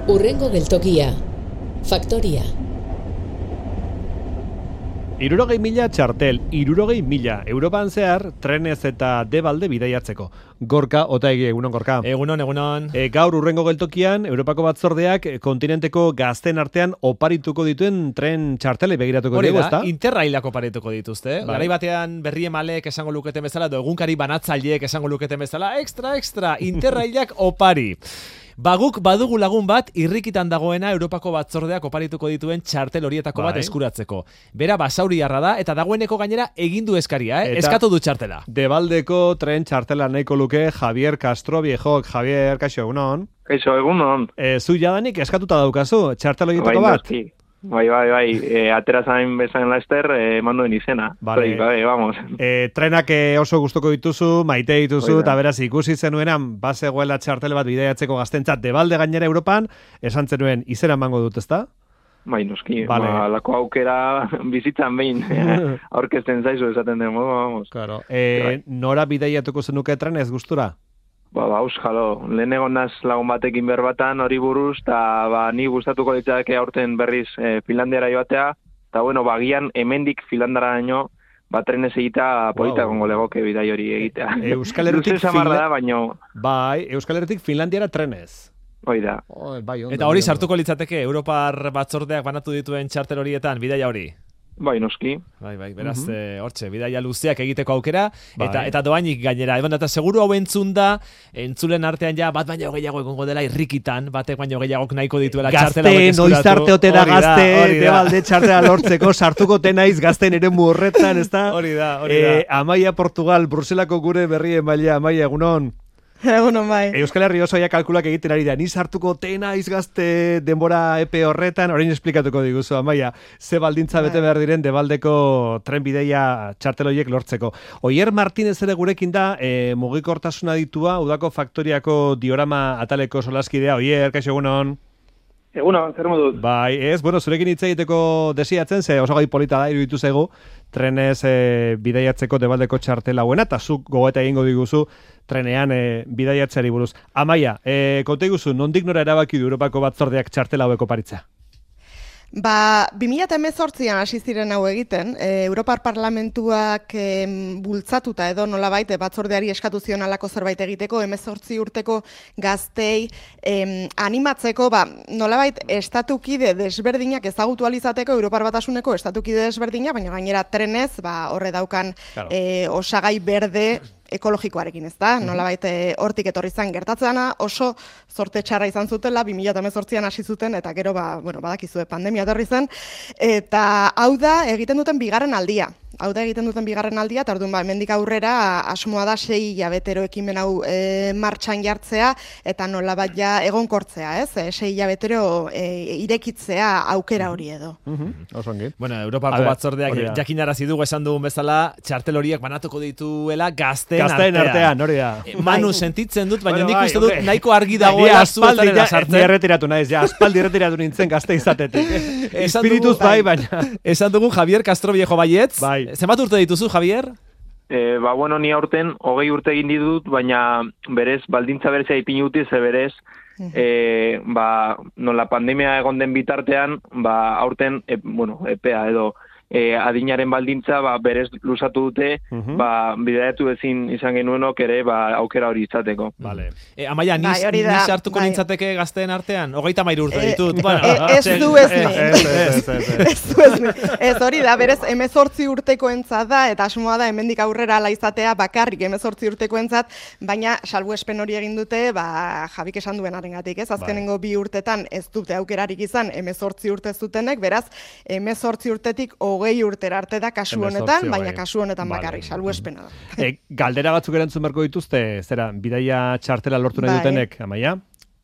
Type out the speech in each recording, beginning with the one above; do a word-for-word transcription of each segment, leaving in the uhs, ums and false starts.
Hurrengo geltokia. Faktoria. Hirurogei mila txartel, hirurogei mila Europan zehar trenez eta debalde bidaiatzeko. Gorka, Otaegi, egunon Gorka. Egunon, egunon. E, gaur urrengo geltokian, Europako batzordeak kontinenteko gazten artean oparituko dituen tren txartele begiratuko dugu, ezta? Interrailak oparituko dituzte. Bai. Garai batean berri emalek esango luketen bezala, edo egunkari banatzaileek esango luketen bezala, extra, extra, interrailak opari. Baguk badugu lagun bat irrikitan dagoena Europako batzordeak oparituko dituen txartel horietako bai. bat eskuratzeko. Bera basauriarra da eta dagoeneko gainera egindu eskaria, eh? Eskatu du txartela. Debaldeko tren txartela nahiko luke Javier Castro Viejok. Javier, kaixo, egunon. Kaixo, egunon. E, zu jadanik eskatuta daukazu txartel horietako bai, bat? Noski. Bai, bai, bai, e, atera zain bezan laster, e, manduen izena. Vale. Bai, vamos. E, trenak oso gustoko dituzu, maite dituzu, eta beraz ikusi zenuenan, bazegoela txartel bat bidaiatzeko gaztentzat debalde gainera Europan, esan zenuen izena emango dut, ezta? Bai, noski, vale. Ba, lako aukera bizitzan behin, aurkezten zaizu esaten den, vamos. Claro. E, nora bidaiatuko zenuke trenez gustura? Ba, ba, euskalo, lehen egon naz lagun batekin berbatan hori buruz, eta ba, ni gustatuko ditzake aurten berriz e, Finlandiara joatea, eta bueno, bagian hemendik Finlandara daño, ba, trenez egita polita wow. gongo legoke bidai hori egitea. Euskal Herritik Finla... da, baino... Bai, Euskal Herritik Finlandiara trenez. Hoi da. Oh, bai, ondo, eta hori sartuko litzateke, Europar batzordeak banatu dituen txartel horietan, bidaia hori? Bai, noski. Bai, bai, beraz, uh-huh. e, hortxe, bidaia luzeak egiteko aukera, bai. eta eta doainik gainera. Eban, eta seguru hau entzun da, entzulen artean ja, bat baino gehiago egongo dela irrikitan, batek baino gehiagok nahiko dituela txartela hauek eskuratu. Gazte, noiz arte ote da gazte, debalde txartela lortzeko, sartuko tenaiz gazten ere horretan, ez da? Hori da, hori da. E, Amaia Portugal, Bruselako gure berri emailea, Amaia, egunon. Egunon bai. Euskal Herri oso ja kalkulak egiten ari da. Ni sartuko tena izgazte denbora epe horretan, orain esplikatuko diguzu, Amaia. Ze baldintza bete behar diren debaldeko tren bideia txarteloiek lortzeko. Oier Martinez ere gurekin da, e, mugikortasuna ditua, udako faktoriako diorama ataleko solaskidea. Oier, kaixo egunon. Egunon, zer moduz? Bai, ez, bueno, zurekin hitz egiteko desiatzen, ze oso gai polita da, iruditu zaigu, trenez e, bidaiatzeko debaldeko txartela buena, eta zuk gogoeta egingo diguzu trenean e, bidaiatzeari buruz. Amaia, e, konta iguzu, nondik nora erabaki du Europako batzordeak txartela haueko paritza? Ba, bi mila hemezortzian hasi ziren hau egiten, e, Europar Parlamentuak e, bultzatuta edo nolabait batzordeari eskatu zion alako zerbait egiteko, hemezortzi urteko gaztei e, animatzeko, ba, nolabait estatukide desberdinak ezagutu alizateko, Europar Batasuneko estatukide desberdinak, baina gainera trenez, ba, horre daukan claro. e, osagai berde, ekologikoarekin, ez da? Nolabait hortik etorri zen gertatzena, oso zorte txarra izan zutela, bi mila hemezortzian hasi zuten, eta gero, ba, bueno, badakizue pandemia etorri zen, eta hau da egiten duten bigarren aldia. Hau da egiten duten bigarren aldia, eta orduan ba, hemendik aurrera asmoa da sei hilabetero ekimen hau e, martxan jartzea, eta nolabait ja egonkortzea, ez? E, sei hilabetero e, irekitzea aukera hori edo. Uh-huh. Oso ongi. Bueno, Europako batzordeak jakinarazi dugu esan dugun bezala, txartel horiek banatuko dituela gazten Gazten artean, hori da. Manu sentitzen dut, baina bueno, nik bai, uste dut okay. nahiko argi dagoela zuetarela sartzen. Ni erretiratu naiz, ja, aspaldi erretiratu nintzen gazte izatetik. Espirituz bai, baina. Esan dugu Javier Castro Viejo baietz. Bai. Zenbat urte dituzu, Javier? E, ba, bueno, ni aurten hogei urte egin ditut, baina berez, baldintza berezea ipini dute, ze berez, e, ba, nola pandemia egon den bitartean, ba, aurten, e, bueno, epea edo, E, adinaren baldintza ba, berez luzatu dute, uh-huh. ba, bidaiatu ezin izan genuenok ere ba, aukera hori izateko. Vale. E, Amaia, ni, bai, ni sartuko bai. nintzateke gazteen artean? Hogeita mairu urte e, ditut. E, bueno, e, ez du ez ni. Ez du ez ni. Ez hori da, berez, hemezortzi urteko entzat da, eta asmoa da, hemendik aurrera ala izatea bakarrik hemezortzi urteko entzat, baina salbuespen hori egin dute, ba, Jabik esan duen arengatik, ez? Azkenengo bi urtetan ez dute aukerarik izan, hemezortzi urte zutenek, beraz, hemezortzi urtetik hogei urtera arte da kasu honetan, baina kasu honetan bakarrik, salbuespena da. E, galdera batzuk erantzun beharko dituzte, zera, bidaia txartela lortu nahi dutenek, Amaia?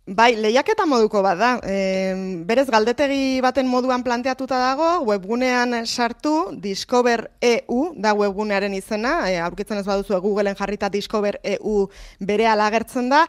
Bai, lehiaketa moduko bat da. E, berez galdetegi baten moduan planteatuta dago, webgunean sartu, Discover E U da webgunearen izena, e, aurkitzen ez baduzu Googleen jarrita Discover E U berehala agertzen da,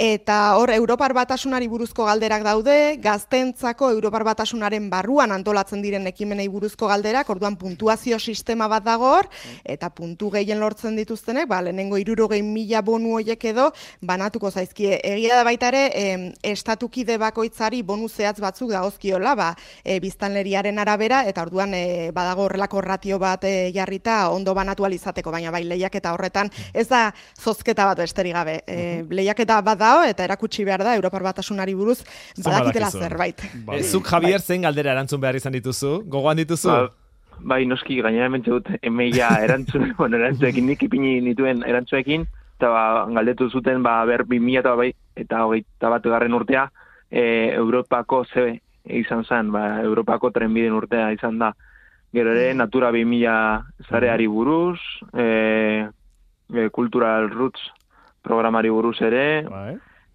Eta hor, Europar Batasunari buruzko galderak daude, gaztentzako Europar Batasunaren barruan antolatzen diren ekimenei buruzko galderak, orduan puntuazio sistema bat dago hor, eta puntu gehien lortzen dituztenek, ba, lehenengo hirurogei mila bonu hoiek edo banatuko zaizkie. Egia da baita ere, eh, estatukide bakoitzari bonu zehatz batzuk dagozkiola, ba, eh, biztanleriaren arabera, eta orduan eh, badago horrelako ratio bat eh, jarrita ondo banatu alizateko, baina bai lehiaketa horretan ez da zozketa bat besterik gabe. Eh, lehiaketa bat dao, eta erakutsi behar da Europar Batasunari buruz badakitela zerbait. Bai. Zuk, Javier, zein galdera erantzun behar izan dituzu? Gogoan dituzu? Ba, bai, noski, gainera hementxe dut, emeia erantzun, bueno, erantzuekin, nik ipini nituen erantzuekin, eta ba, galdetu zuten, ba, ber, bi mila eta bai, eta hogeita bat garren urtea, e, Europako zebe izan zen, ba, Europako trenbiden urtea izan da. Gero ere, Natura bi mila zareari buruz, e, e, Cultural Roots programari buruz ere, Bai.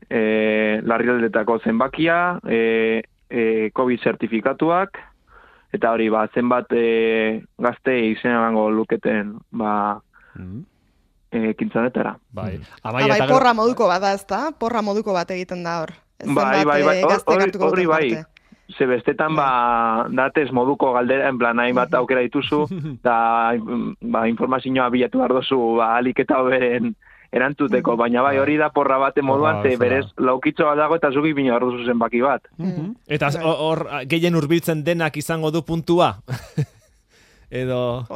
e, larrialdetako zenbakia, e, e, COVID zertifikatuak, eta hori, ba, zenbat e, gazte izena emango luketen, ba, Mm. e, kintzanetara. Bai. Amaia, bai, porra moduko bat da, ezta? Porra moduko bat egiten da hor. Bai, bai, bai, hori, hori bai. Ze bestetan, bai, ba, datez moduko galdera, en plan, hain bat aukera dituzu, eta ba, informazioa bilatu behar dozu, ba, alik eta hoberen erantzuteko, baina bai, hori da porra bate moduan, ze berez laukitzo bat dago eta zuki bina behar duzu zenbaki bat. Eta hor, gehien hurbiltzen denak izango du puntua? Edo...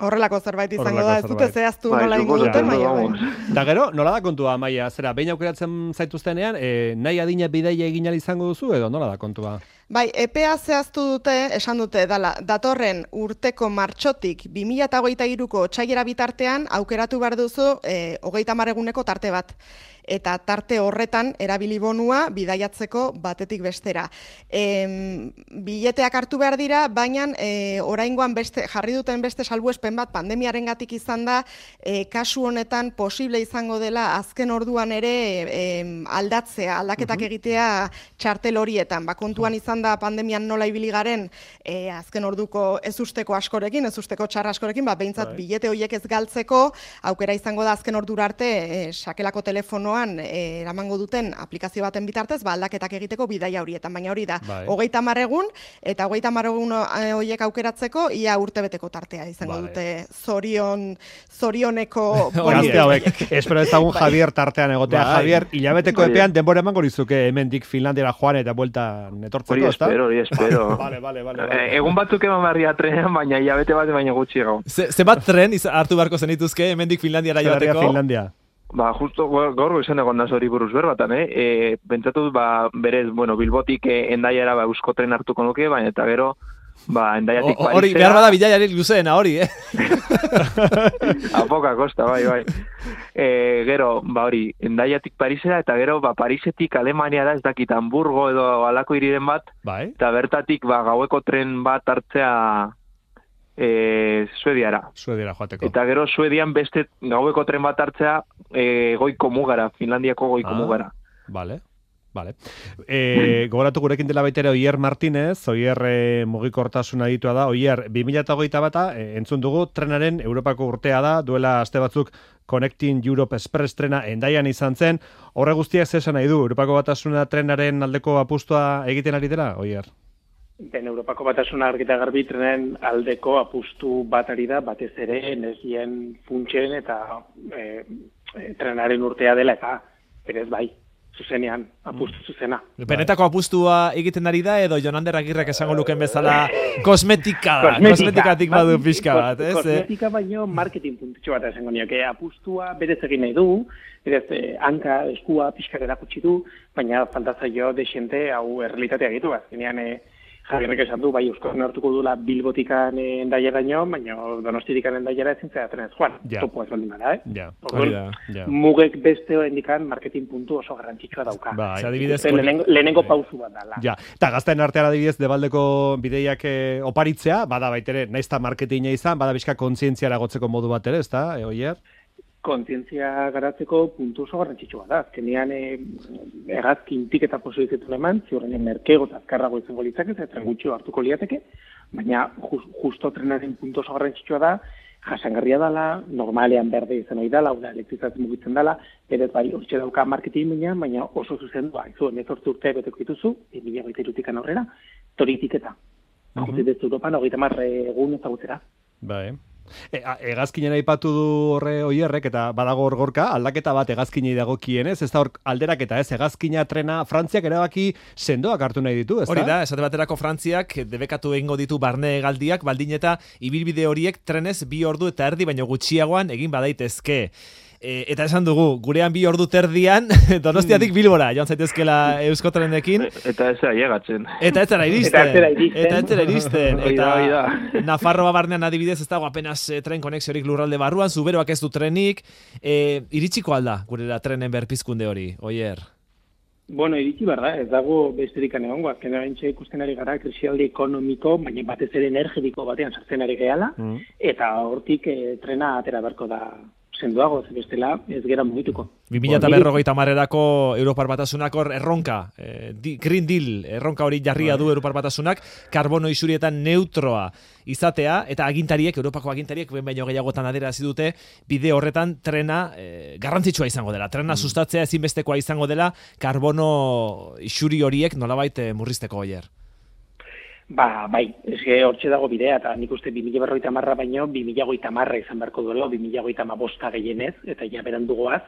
Horrelako zerbait izango da, ez dute zehaztu nola ingo duten, baina. Da gero, nola da kontua, Amaia? Zera, behin aukeratzen zaituztenean, e, nahi adina bidaia egin ahal izango duzu, edo nola da kontua? Bai, epea zehaztu dute, esan dute, dala, datorren urteko martxotik bi mila hogeita hiruko otsailera bitartean aukeratu behar duzu e, hogeita hamar eguneko tarte bat. Eta tarte horretan erabili bonua bidaiatzeko batetik bestera. E, bileteak hartu behar dira, baina e, oraingoan beste, jarri duten beste salbuespen bat pandemiarengatik izan da, e, kasu honetan posible izango dela azken orduan ere e, aldatzea, aldaketak egitea txartel horietan. Ba, kontuan izan da pandemian nola ibili garen e, azken orduko ez usteko askorekin, ez usteko txarra askorekin, ba, behintzat bilete horiek ez galtzeko, aukera izango da azken ordura arte e, sakelako telefonoan e, eramango duten aplikazio baten bitartez, ba, aldaketak egiteko bidaia horietan, baina hori da, hogeita hamar egun, eta hogeita hamar egun horiek aukeratzeko, ia urtebeteko tartea izango vale. Dute zorion, zorioneko... Gazte hauek, espero ezagun Javier tartean egotea. Bai. Javier, hilabeteko epean denbora emango dizuke hemendik Finlandiara joan eta buelta netortzeko, hori espero, hori espero. Vale, vale, vale, vale. Egun batzuk eman barria trenean, baina hilabete bat baina gutxi gau. Ze bat tren hartu beharko zenituzke hemendik Finlandiara joateko? Finlandia. Ba, justo gaur izan egon da hori buruz berbatan, eh? E, pentsatu, ba, berez, bueno, Bilbotik eh, endaiara ba, eusko tren hartuko nuke, baina eta gero, ba, endaiatik Parisera... Hori, behar bada bilaiarik luzeena, hori, eh? Apoka kosta, bai, bai. E, gero, ba, hori, endaiatik Parisera, eta gero, ba, Parisetik Alemania da, ez dakit, Hamburgo edo alako hiriren bat, bai. Eta bertatik, ba, gaueko tren bat hartzea... E, Suediara. Suediara joateko. Eta gero Suedian beste gaueko tren bat hartzea e, goiko mugara, Finlandiako goiko ah, mugara. Vale. Vale. E, gogoratu gurekin dela baita ere Oier Martínez, Oier e, mugikortasuna ditua da. Oier, bi mila hogeita bata e, entzun dugu trenaren Europako urtea da, duela aste batzuk Connecting Europe Express trena endaian izan zen. Horre guztiak zesan nahi du, Europako batasuna trenaren aldeko apustua egiten ari dela, Oier? Ben, Europako batasuna argita garbi trenen aldeko apustu bat ari da, batez ere energien funtsen eta e, e, trenaren urtea dela eta berez bai, zuzenean, apustu zuzena. Benetako apustua egiten ari da edo Jonander Agirrek esango luken bezala kosmetika da, kosmetikatik badu pixka bat, ez? Kosmetika baino marketing puntutxo bat esango nioke, apustua berez egin nahi du, berez eh, hanka, eskua, pixkar erakutsi du, baina fantazaio desente hau errealitatea gitu, azkenean eh, Javierrek esan du, bai, Euskal hartuko dula Bilbotikan endaiaraino, baina Donostiatikan endaiara ezin zera trenez joan. Ja. Topo ez baldin bada, eh? Ja. Orduan, ja. Mugek beste indikan marketing puntu oso garrantzitsua dauka. Bai. Adibidez, lehenengo, lehenengo pausu bat dala. Ja. Eta gazten artean adibidez, debaldeko bideiak eh, oparitzea, bada baitere, naiz eta marketinga izan, bada bizka kontzientziara gotzeko modu bat ere, ez da, e, Oier? Kontzientzia garatzeko puntu oso garrantzitsua da. Azkenean e, errazkintik eta posibilitetu eman, ziurrenean merkego eta azkarrago izango litzake, eta gutxio hartuko liateke, baina just, justo trenaren puntu oso garrantzitsua da, jasangarria dela, normalean berde izan hori dela, oda elektrizatzen mugitzen dela, berez bai, hortxe dauka marketing baina, baina oso zuzendua, izu, emezortzi urte beteko dituzu, bi mila hogeita hirutikan aurrera, toritik eta. Jotzi dut Europan, hogeita hamar egun ezagutzera. Bai. E, hegazkinen aipatu du horre oierrek, eta badago hor gorka, aldaketa bat hegazkinei dagokienez, ez da hor alderaketa ez, hegazkina trena Frantziak erabaki sendoak hartu nahi ditu, ez da? Hori da, esate baterako Frantziak debekatu egingo ditu barne hegaldiak, baldin eta ibilbide horiek trenez bi ordu eta erdi baino gutxiagoan egin badaitezke. E, eta esan dugu, gurean bi ordu terdian, Donostiatik Bilbora, joan zaitezkela Eusko Trenekin. Eta ez zera llegatzen. Eta ez zera iristen. Eta ez zera iristen. Eta ez zera iristen. Oida, oida. Nafarroa barnean adibidez, ez dago apenas eh, tren konexiorik lurralde barruan, Zuberoak ez du trenik. E, iritsiko alda, gurera trenen berpizkunde hori, Oier? Bueno, iritsi behar da, ez dago besterik egongo, azken erantxe ikusten ari gara, krisialdi ekonomiko, baina batez ere energetiko batean sartzen ari gehala, mm. eta hortik eh, trena atera beharko da sendoago, bestela ez gera mugituko. bi mila berrogeita hamarerako Europar Batasunak hor erronka, eh, di, Green Deal, erronka hori jarria du Europar Batasunak, karbono isurietan neutroa izatea, eta agintariek, Europako agintariek, ben baino gehiagotan aderazi dute, bide horretan trena eh, garrantzitsua izango dela. Trena mm. sustatzea ezinbestekoa izango dela, karbono isuri horiek nolabait eh, murrizteko Oier. Ba, bai, eske hortxe dago bidea, eta nik uste bi mila berrogeita hamarra baino, bi mila hogeita hamarra izan beharko duela, bi mila hogeita hamabosta gehienez, eta ja berandugoaz,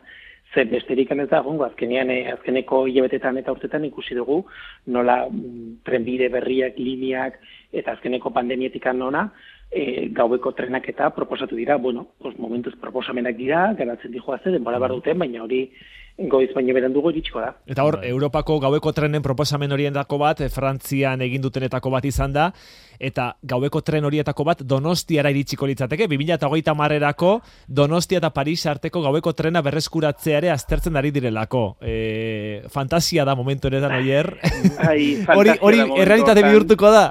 ze besterik ez da egongo, azkenean, azkeneko hilabetetan eta urtetan ikusi dugu, nola mm, trenbide berriak, lineak, eta azkeneko pandemietikan nona, e, gaueko trenak eta proposatu dira, bueno, pues momentuz proposamenak dira, garatzen dijoaze, denbora bar duten, baina hori goiz baino berandugo iritsiko da. Eta hor, Europako gaueko trenen proposamen horientako bat, Frantzian egin dutenetako bat izan da, eta gaueko tren horietako bat Donostiara iritsiko litzateke, bi mila hogeita hamarerako Donostia eta Paris arteko gaueko trena berreskuratzea ere aztertzen ari direlako. E, fantasia da momentu honetan Oier. Hori hori errealitate bihurtuko da.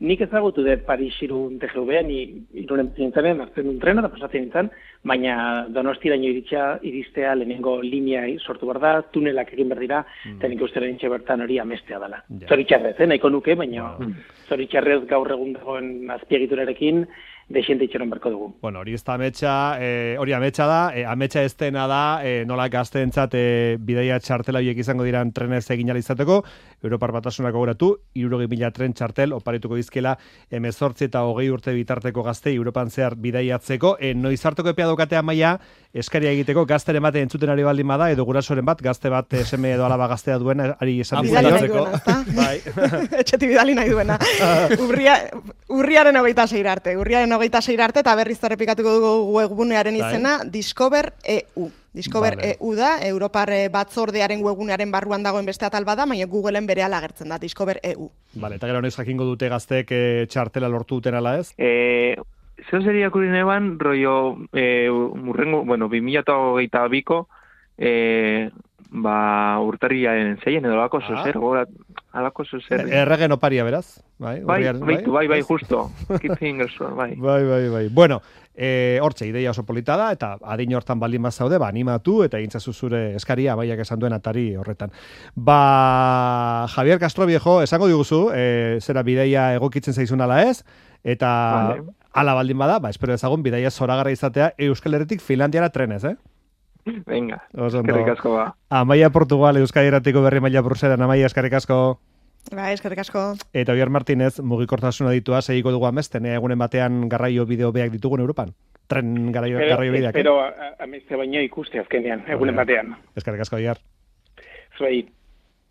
Nik ezagutu dut Paris irun T G V, ni irunen zintzenen, hartzen duen trena, eta pasatzen nintzen, baina Donostiraino iritsia, iristea lehenengo linea sortu behar da, tunelak egin behar dira, mm. eta nik uste rentxe bertan hori amestea dela. Yeah. Zoritxarrez, eh, nahiko nuke, baina wow. zoritxarrez gaur egun dagoen azpiegiturarekin, desiente itxeron berko dugu. Bueno, hori ez da ametsa, eh, hori ametsa da, eh, ametsa ez dena da, eh, nola gazteentzat eh, bidaia txartela horiek izango diran trenez egin izateko, Europar Batasunak gogoratu, hirurogei mila tren txartel oparituko dizkela hemezortzi eta hogei urte bitarteko gaztei Europan zehar bidaiatzeko, eh, noiz hartuko epea daukatea maila, eskaria egiteko gazteren bate entzuten ari baldin bada, edo gurasoren bat, gazte bat eh, seme edo alaba gaztea duena, ari esan bidaiatzeko. Bai. Etxeti bidali nahi duena. Urria, urriaren hogeita sei arte, urriaren hogeita sei arte, eta berriz errepikatuko dugu webgunearen izena, Discover E U. Discover vale. E U da, Europar batzordearen webgunearen barruan dagoen beste atal bada, baina Googleen berehala agertzen da, Discover E U. Vale, eta gero noiz jakingo dute gazteek e, txartela lortu duten ala ez? Eh, zeo seria kurin eban, rollo, eh, murrengo, bueno, bi mila hogeita biko, eh, ba, urtarriaren zeien edo alako zozer, ah. alako zozer. Erregen oparia, beraz? Bai, bai, bai, bai, bai, justo. Keep fingers, bai. Bai, bai, bai. Bueno, eh, hortxe, ideia oso polita da, eta adin hortan baldin mazaude, ba, animatu, eta egintzazu zure eskaria, baiak esan duen atari horretan. Ba, Javier Castro Viejo, esango diguzu, eh, zera bideia egokitzen zaizun ala ez, eta vale. Ala baldin bada, ba, espero ezagun, bideia zoragarra izatea Euskal Herritik Finlandiara trenez, eh? Venga, eskerrik asko ba. Amaia Portugal, Euskadi Erratiko berri maila bruseran, Amaia, eskerrik asko. Ba, eskerrik asko. Eta Oier Martinez, mugikortasuna ditua, segiko dugu amesten, egunen batean garraio bideo beak ditugun Europan. Tren garraio, pero, garraio bideak. Pero, eh? ameste baino ikuste azkenean, egunen batean. Eskerrik asko, Oier. Zuei.